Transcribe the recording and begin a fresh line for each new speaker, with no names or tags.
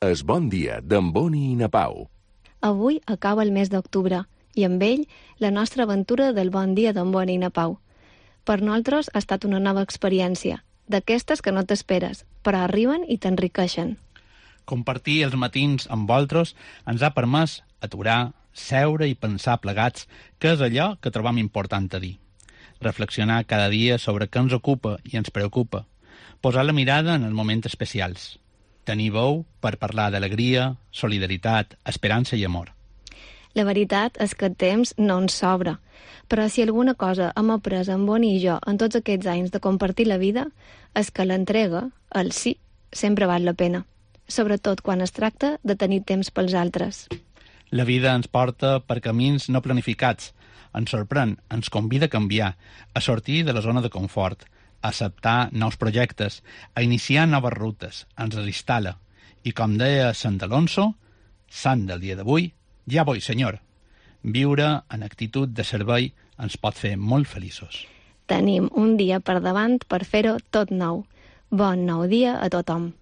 Es Bon Dia d'en Boni i na Pau.
Avui acaba el mes d'octubre i amb ell la nostra aventura del Bon Dia d'en Boni i na Pau. Per nosaltres ha estat una nova experiència, d'aquestes que no t'esperes, però arriben i t'enriqueixen.
Compartir els matins amb vosaltres ens ha permès aturar, seure i pensar plegats què és allò que trobam important a dir. Reflexionar cada dia sobre què ens ocupa i ens preocupa. Posar la mirada en els moments especials. Tenir veu per parlar d'alegria, solidaritat, esperança i amor.
La veritat és que el temps no ens sobra, però si alguna cosa hem après en Boni i jo en tots aquests anys de compartir la vida, és que l'entrega, el sí, sempre val la pena, sobretot quan es tracta de tenir temps pels altres.
La vida ens porta per camins no planificats, ens sorprèn, ens convida a canviar, a sortir de la zona de confort, a acceptar nous projectes, a iniciar noves rutes, ens instal·la. I com deia Sant Alonso, sant del dia d'avui, ja voy, senyor. Viure en actitud de servei ens pot fer molt feliços.
Tenim un dia per davant per fer-ho tot nou. Bon nou dia a tothom.